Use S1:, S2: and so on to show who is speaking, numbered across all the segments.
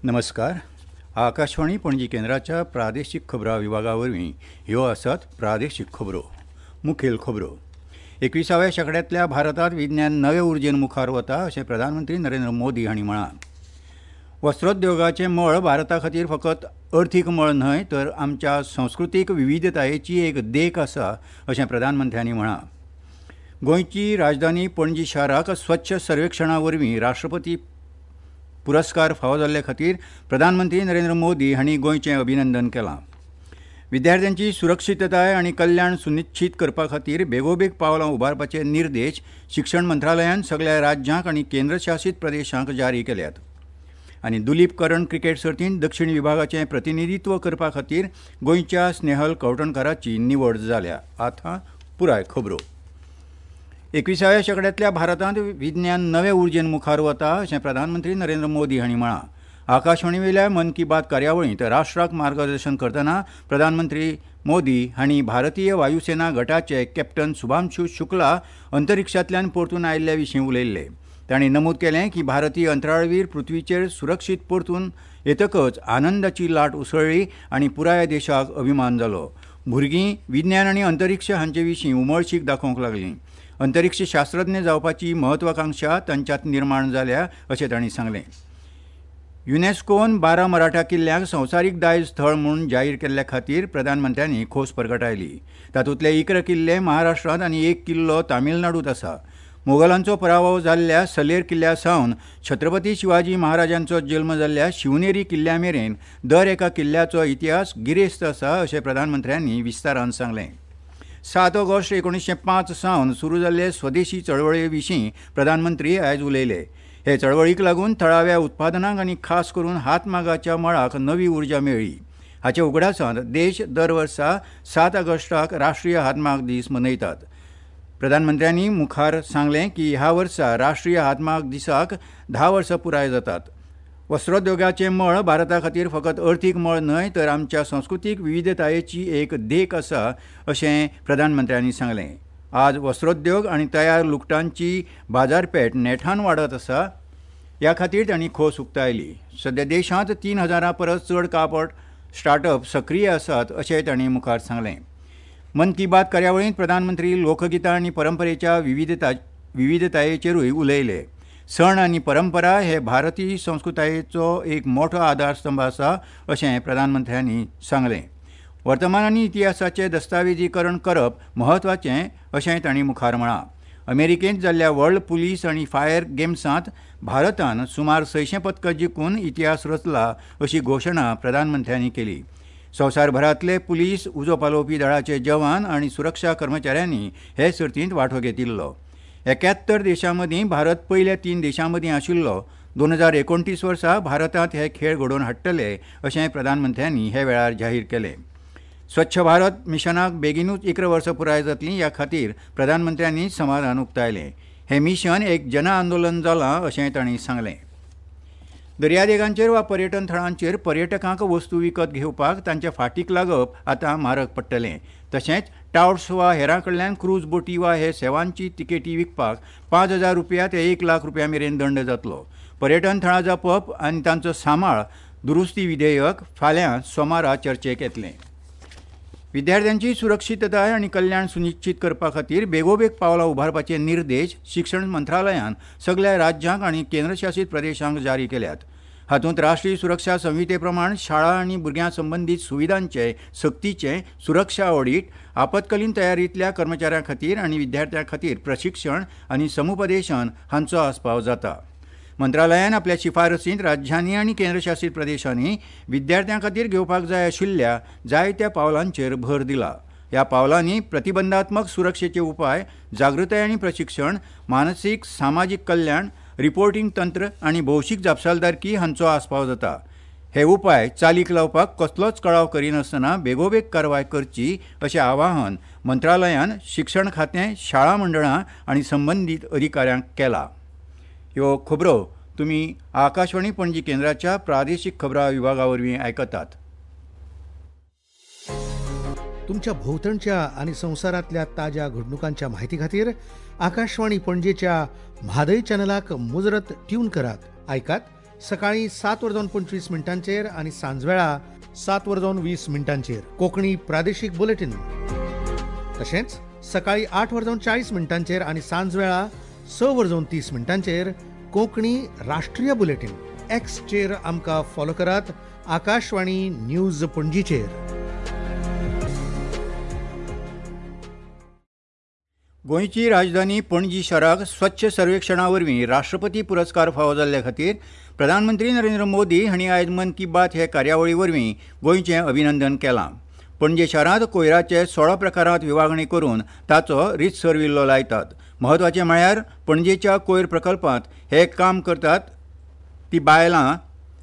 S1: नमस्कार. आकाशवाणी पणजी केंद्राच्या प्रादेशीक खबरां विभागा वरवीं ह्यो आसात प्रादेशीक खबरो. मुखेल खबरो. 21व्या शेंकड्यांतल्या भारतांत विज्ञान नवे उर्जेन मुखार वता अशें प्रधानमंत्री नरेंद्र मोदी हांणी म्हळां. वस्त्रोद्योगाचें मळ भारता खातीर फकत अर्थीक मळ न्हय तर आमच्या संस्कृतीक विविधतायेची एक देख आसा अशें प्रधानमंत्र्यांनी म्हळां. गोंयची राजधानी पणजी शाराक स्वच्छ सर्वेक्षणा वरवीं राष्ट्रपती पुरस्कार फावो जाल्ले खातीर प्रधानमंत्री नरेंद्र मोदी हांणी गोंयचें अभिनंदन केलां. विद्यार्थ्यांची सुरक्षितताय आनी कल्याण सुनिश्चीत करपा खातीर बेगोबेग पावलां उबारपाचे निर्देश शिक्षण मंत्रालयान सगल्या राज्यांक आनी केंद्रशासीत प्रदेशांक जारी केल्यात. आनी दुलीप करंड क्रिकेट सर्तींत दक्षिण विभागाचें प्रतिनिधित्व करपा खातीर गोंयच्या स्नेहल कवठणकाराची निवड जाल्या. आतां पुराय खबरो. 21व्या शेंकड्यांतल्या भारतांत विज्ञान नवे उर्जेन मुखार वता अशें प्रधानमंत्री नरेंद्र मोदी हांणी म्हळां. आकाशवाणीवेल्या मन की बात कार्यावळींत राष्ट्राक मार्गदर्शन करतना प्रधानमंत्री मोदी हांणी भारतीय वायुसेना गटाचे कॅप्टन शुभांशु शुक्ला अंतरिक्षांतल्यान परतून आयिल्ल्या विशीं उलयल्ले. तांणी नमूद केलें की भारतीय अंतराळवीर पृथ्वीचेर सुरक्षीत परतून येतकच आनंदाची लाट उसळ्ळी आनी पुराय देशाक अभिमान जालो. भुरगीं विज्ञान आनी अंतरिक्ष हांचे विशीं उमळशीक दाखोवंक लागलीं. अंतरिक्ष शास्त्रज्ञ जावपाची महत्वाकांक्षा तांच्यांत निर्माण जाल्या अशें तांणी सांगलें. युनेस्कोन 12 मराठा किल्ल्यांक संवसारीक दायज थळ म्हूण जाहीर केल्ल्या खातीर प्रधानमंत्र्यांनी खोस परगटायली. तातूंतले 11 किल्ले महाराष्ट्रांत आनी 1 किल्लो तामिळनाडूंत आसा. मोगलांचो पराभव जाल्ल्या सलेर किल्ल्या सावन छत्रपती शिवाजी महाराजांचो जल्म जाल्ल्या शिवनेरी किल्ल्या मेरेन दर एका किल्ल्याचो इतिहास गिरेस्त आसा अशें प्रधानमंत्र्यांनी विस्तारान सांगलें. 7 ऑगस्ट 1905 सावन सुरू जाल्ले स्वदेशी चळवळे विशीं प्रधानमंत्री आयज उलयले. हे चळवळीक लागून थळाव्या उत्पादनांक आनी खास करून हातमागाच्या मळाक नवी उर्जा मेळ्ळी. हाचे उगडासांत देश दर वर्सा 7 ऑगस्टाक राष्ट्रीय हातमाग दीस मनयतात. प्रधानमंत्र्यांनी मुखार सांगलें की ह्या वर्सा राष्ट्रीय हातमाग दिसाक 10 वर्सां पुराय जातात. वस्त्रोद्योगाचें मळ भारता खातीर फकत अर्थीक मळ न्हय तर आमच्या संस्कृतीक विविधतायेची एक देख आसा अशें प्रधानमंत्र्यांनी सांगलें. आज वस्त्रोद्योग आनी तयार लुगटांची बाजारपेठ नेटान वाडत आसा ह्या खातीर तांणी खोस उक्तायली. सद्या देशांत 3000 परस चड कापड स्टार्टअप सक्रीय आसात अशें तांणी मुखार सांगलें. मन की बात कार्यावळींत प्रधानमंत्री लोकगितां आनी परंपरेच्या विविधतायेचेरूय उलयले. सण आनी परंपरा हे भारतीय संस्कृतायेचो एक मोठो आधारस्तंभ आसा अशें प्रधानमंत्र्यांनी सांगलें. वर्तमान आनी इतिहासाचें दस्तावेजीकरण करप म्हत्वाचें अशें तांणी मुखार म्हळां. अमेरिकेंत जाल्ल्या वर्ल्ड पुलीस आनी फायर गेम्सांत भारतान सुमार 600 पदकां जिखून इतिहास रचला अशी घोशणा प्रधानमंत्र्यांनी केली. संवसारभरांतले पुलीस, उजो पालोवपी दळाचे जवान आनी सुरक्षा कर्मचाऱ्यांनी हे सर्तींत वांटो घेतिल्लो. 71 देशां मदीं भारत पयल्या 3 देशां मदीं आशिल्लो. 2029 वर्सा भारतांत हे खेळ घडोवन हाडटले अशें प्रधानमंत्र्यांनी हे वेळार जाहीर केलें. स्वच्छ भारत मिशनाक बेगिनूच 11 वर्सां पुराय जातलीं ह्या खातीर प्रधानमंत्र्यांनी समाधान उक्तायलें. हें मिशन एक जन आंदोलन जालां अशें तांणी सांगलें. दर्यादेगांचेर वा पर्यटन थळांचेर पर्यटकांक वस्तू विकत घेवपाक तांच्या फाटीक लागप आतां म्हारग पडटलें. तशेंच टावट्स वा हेरां कडल्यान क्रूज बोटी वा हे सेवांची तिकेटी विकपाक 5000 रुपया ते 1 लाख रुपया मेरेन दंड जातलो. पर्यटन थळां जपप आनी तांचो सांबाळ दुरुस्ती विधेयक फाल्यां सोमारा चर्चेक येतलें. विद्यार्थ्यांची सुरक्षितताय आनी कल्याण सुनिश्चीत करपा खातीर बेगोबेग पावलां उबारपाचे निर्देश शिक्षण मंत्रालयान सगल्या राज्यांक आनी केंद्रशासीत प्रदेशांक जारी केल्यात. हातूंत राष्ट्रीय सुरक्षा संहिते प्रमाण शाळा आनी भुरग्यां संबंदीत सुविधांचे सक्तीचें सुरक्षा ऑडीट, आपत्कालीन तयारींतल्या कर्मचाऱ्यां खातीर आनी विद्यार्थ्यां खातीर प्रशिक्षण आनी समुपदेशन हांचो आस्पाव जाता. मंत्रालयान आपल्या शिफारसींत राज्यांनी आनी केंद्रशासीत प्रदेशांनी विद्यार्थ्यां खातीर घेवपाक जाय आशिल्ल्या जायत्या पावलांचेर भर दिला. ह्या पावलांनी प्रतिबंधात्मक सुरक्षेचे उपाय, जागृताय आनी प्रशिक्षण, मानसीक सामाजीक कल्याण, रिपोर्टिंग तंत्र आनी भौशीक जापसालदारकी हांचो आस्पाव जाता. हे उपाय चालीक लावपाक कसलोच कळाव करिनासतना बेगोबेग कारवाय करची अशें आवाहन मंत्रालयान शिक्षण खातें, शाळा मंडळां आनी संबंदीत अधिकाऱ्यांक केलां. ह्यो खबरो तुमी आकाशवाणी पणजी केंद्राच्या प्रादेशीक खबरां विभागा वरवीं आयकतात.
S2: तुमच्या भोवतणच्या आनी संवसारांतल्या ताज्या घडणुकांच्या माहिती खातीर आकाशवाणी पणजेच्या म्हादय चॅनलाक मुजरत ट्यून करात. आयकात सकाळी 7:25 आनी सांजवेळा 7:20 कोंकणी प्रादेशीक बुलेटीन. तशेंच सकाळी 8:40 आनी सांजवेळा 6:30 कोंकणी राष्ट्रीय बुलेटीन. एक्सचेर आमकां फॉलो करात आकाशवाणी न्यूज पणजीचेर.
S1: गोंयची राजधानी पणजी शाराक स्वच्छ सर्वेक्षणा वरवीं राष्ट्रपती पुरस्कार फावो जाल्ले खातीर प्रधानमंत्री नरेंद्र मोदी हांणी आयज मन की बात हे कार्यावळी वरवीं गोंयचें अभिनंदन केलां. पणजे शारांत कोयराचे 16 प्रकारांत विभागणी करून ताचो रितसर विल्लो लायतात. म्हत्वाचें म्हळ्यार पणजेच्या कोयर प्रकल्पांत हे काम करतात ती बायलां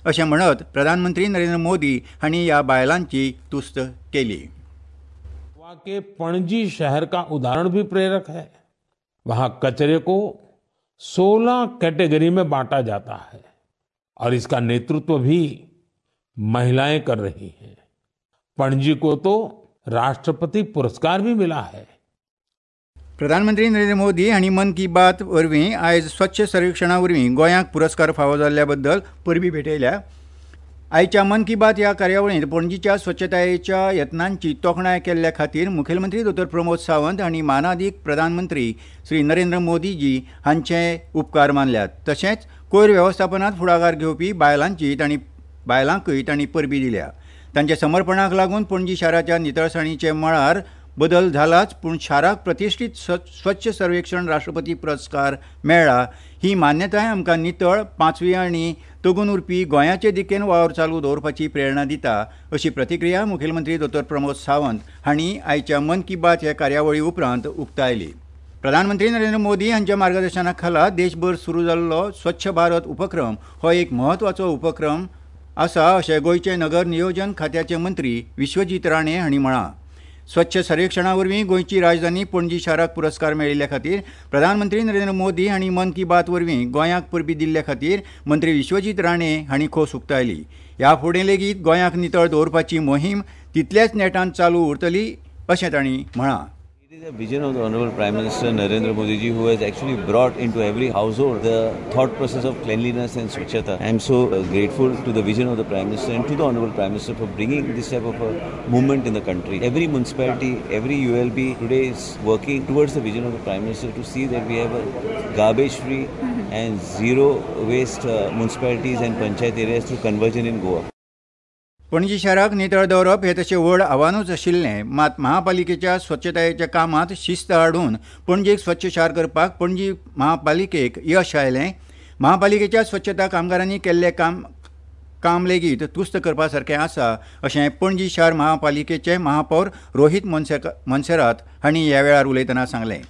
S1: अशें म्हणत प्रधानमंत्री नरेंद्र मोदी हांणी ह्या बायलांची तुस्त केली.
S3: गोवा के पणजी शहर का उदाहरण भी प्रेरक है. वहां कचरे को 16 कैटेगरी में बांटा जाता है और इसका नेतृत्व भी महिलाएं कर रही हैं. पणजी को तो राष्ट्रपति पुरस्कार भी मिला है.
S1: प्रधानमंत्री नरेंद्र मोदी हांणी मन की बात वरवीं आयज स्वच्छ सर्वेक्षणा वरवीं गोंयांक पुरस्कार फावो जाल्ल्या बद्दल परबी भेटयल्या. आयच्या मन की बात ह्या कार्यावळींत पणजीच्या स्वच्छतायेच्या यत्नांची तोखणाय केल्ल्या खातीर मुखेलमंत्री दोतोर प्रमोद सावंत हांणी मानादीक प्रधानमंत्री श्री नरेंद्र मोदीजी हांचे उपकार मानल्यात. तशेंच कोयर वेवस्थापनांत फुडाकार घेवपी बायलांकूय तांणी परबी दिल्या. तांच्या समर्पणाक लागून पणजी शाराच्या नितळसाणीचे मळार बदल जालाच, पूण शाराक प्रतिश्ठीत स्वच्छ सर्वेक्षण राष्ट्रपती पुरस्कार मेळ्ळा ही मान्यताय आमकां नितळ, पांचवी आनी तगून उरपी गोंयाचे दिकेन वावर चालू दवरपाची प्रेरणा दिता अशी प्रतिक्रिया मुखेलमंत्री दोतोर प्रमोद सावंत हांणी आयच्या मन की बात ह्या कार्यावळी उपरांत उक्तायली. प्रधानमंत्री नरेंद्र मोदी हांच्या मार्गदर्शना खाला देशभर सुरू जाल्लो स्वच्छ भारत उपक्रम हो एक म्हत्वाचो उपक्रम आसा अशें गोंयचे नगर नियोजन खात्याचे मंत्री विश्वजीत राणे हांणी म्हळां. स्वच्छ सर्वेक्षणा वरवीं गोंयची राजधानी पणजी शाराक पुरस्कार मेळिल्ल्या खातीर प्रधानमंत्री नरेंद्र मोदी हांणी मन की बात वरवीं गोंयांक परबी दिल्ल्या खातीर मंत्री विश्वजीत राणे हांणी खोस उक्तायली. ह्या फुडें लेगीत गोंयांक नितळ दवरपाची मोहीम तितल्याच नेटान चालू उरतली अशें तांणी म्हळां.
S4: It is a vision of the Honorable Prime Minister Narendra Modi ji, who has actually brought into every household the thought process of cleanliness and swachhata. I am so grateful to the vision of the Prime Minister and to the Honorable Prime Minister for bringing this type of a movement in the country. Every municipality, every ULB today is working towards the vision of the Prime Minister to see that we have a garbage-free and zero waste municipalities and panchayat areas through conversion in Goa.
S1: Panaji शाराक नितळ दवरप हें तशें व्हड आव्हानूच आशिल्लें, मात महापालिकेच्या स्वच्छतायेच्या कामांत शिस्त हाडून पणजेक स्वच्छ शार करपाक पणजी महापालिकेक यश आयलें. महापालिकेच्या स्वच्छता कामगारांनी केल्लें काम लेगीत तुस्त करपा सारकें आसा अशें पणजी शार महापालिकेचे महापौर रोहित मोन्सेरात हांणी ह्या वेळार उलयतना सांगलें.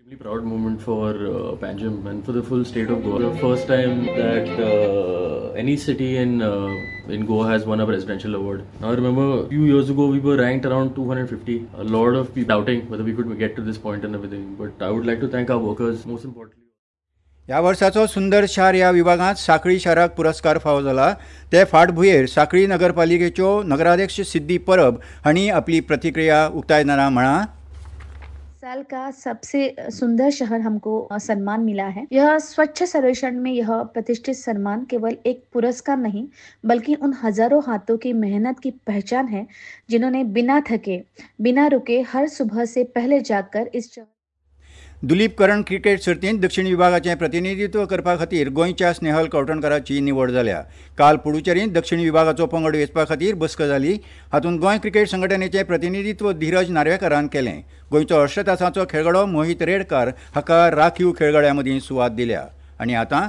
S5: Extremely proud moment for Panjim and for the full state of Goa. The first time that any city in Goa has won a presidential award. Now I remember a few years ago we were ranked around 250. A lot of people doubting whether we could get to this point and everything. But I would like to thank our workers most importantly.
S1: ह्या वर्साचो सुंदर शार ह्या विभागांत सांखळी शाराक पुरस्कार फावो जाला. ते फाटभुंयेर सांखळी नगरपालिकेच्यो नगराध्यक्ष सिद्धी परब हांणी आपली प्रतिक्रिया उक्तायतना म्हळां,
S6: साल का सबसे सुंदर शहर हमको सम्मान मिला है. यह स्वच्छ सर्वेक्षण में यह प्रतिष्ठित सम्मान केवल एक पुरस्कार नहीं बल्कि उन हजारों हाथों की मेहनत की पहचान है जिन्होंने बिना थके बिना रुके हर सुबह से पहले जागकर इस
S1: दुलीप करंड क्रिकेट सर्तींत दक्षिण विभागाचें प्रतिनिधित्व करपा खातीर गोंयच्या स्नेहल कवठणकाराची निवड जाल्या. काल पुडुचेरींत दक्षिण विभागाचो पंगड वेंचपा खातीर बसका जाली. हातूंत गोंय क्रिकेट संघटनेचें प्रतिनिधित्व धीरज नार्वेकारान केलें. गोंयचो अष्टतासाचो खेळगडो मोहित रेडकार हाका राखीव खेळगड्यां मदीं सुवात दिल्या. आनी आतां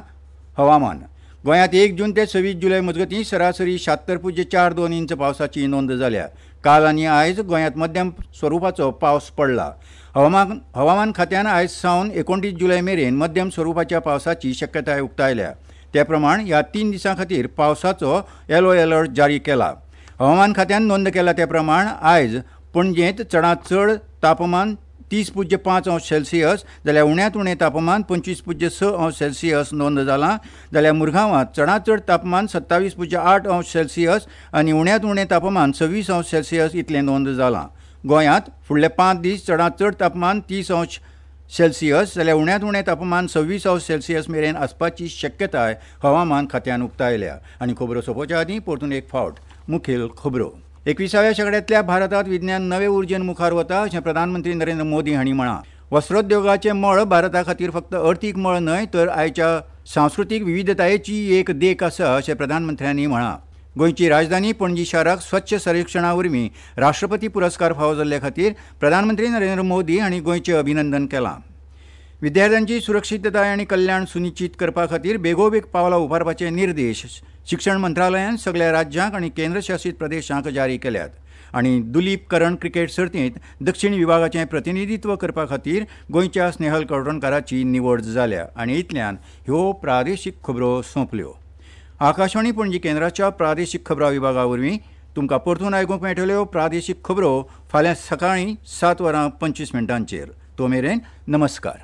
S1: हवामान. गोंयांत 1 जून ते 26 जुलय मजगतीं सरासरी 76.42 इंच पावसाची नोंद जाल्या. काल आनी आयज गोंयांत मध्यम स्वरुपाचो पावस पडला. हवामान खात्यान आयज सावन 29 जुलय मेरेन मध्यम स्वरुपाच्या पावसाची शक्यताय उक्तायल्या. ते प्रमाण ह्या 3 दिसां खातीर पावसाचो येलो अलर्ट जारी केला. हवामान खात्यान नोंद केला ते प्रमाण आयज पणजेंत चडांत चड तापमान 30.5 अंश सेल्सियस जाल्यार उण्यांत उणें तापमान 25.6 अंश सेल्सियस नोंद जालां. जाल्यार मुरगांवांत चडांत चड तापमान 27.8 अंश सेल्सियस आनी उण्यांत उणें तापमान 26 अंश सेल्सियस इतलें नोंद जालां. गोंयांत फुडले 5 दीस चडांत चड तापमान 30 अंश सेल्सियस जाल्यार उण्यांत उणें तापमान 26 अंश सेल्सियस मेरेन आसपाची शक्यताय हवामान खात्यान उक्तायल्या. आनी खबरो सोंपोवच्या आदीं परतून एक फावट मुखेल खबरो. 21व्या शेंकड्यांतल्या भारतांत विज्ञान नवे उर्जेन मुखार वता अशें प्रधानमंत्री नरेंद्र मोदी हांणी म्हळां. वस्त्रोद्योगाचें मळ भारता खातीर फक्त अर्थीक मळ न्हय तर आयच्या सांस्कृतीक विविधतायेची एक देख आसा अशें प्रधानमंत्र्यांनी म्हळां. गोंयची राजधानी पणजी शाराक स्वच्छ सर्वेक्षणा वरवीं राष्ट्रपती पुरस्कार फावो जाल्ले खातीर प्रधानमंत्री नरेंद्र मोदी हांणी गोंयचें अभिनंदन केलां. विद्यार्थ्यांची सुरक्षितताय आनी कल्याण सुनिश्चीत करपा खातीर बेगोबेग पावलां उबारपाचे निर्देश शिक्षण मंत्रालयान सगल्या राज्यांक आनी केंद्रशासीत प्रदेशांक जारी केल्यात. आनी दुलीप करण क्रिकेट सर्तींत दक्षिण विभागाचें प्रतिनिधित्व करपा खातीर गोंयच्या स्नेहल कवठणकाराची निवड जाल्या. आनी इतल्यान ह्यो प्रादेशीक खबरो सोंपल्यो. आकाशवाणी पणजी केंद्राच्या प्रादेशीक खबरां विभागा वरवीं तुमकां परतून आयकूंक मेळटल्यो प्रादेशीक खबरो फाल्यां सकाळीं 7:25. तो मेरेन नमस्कार.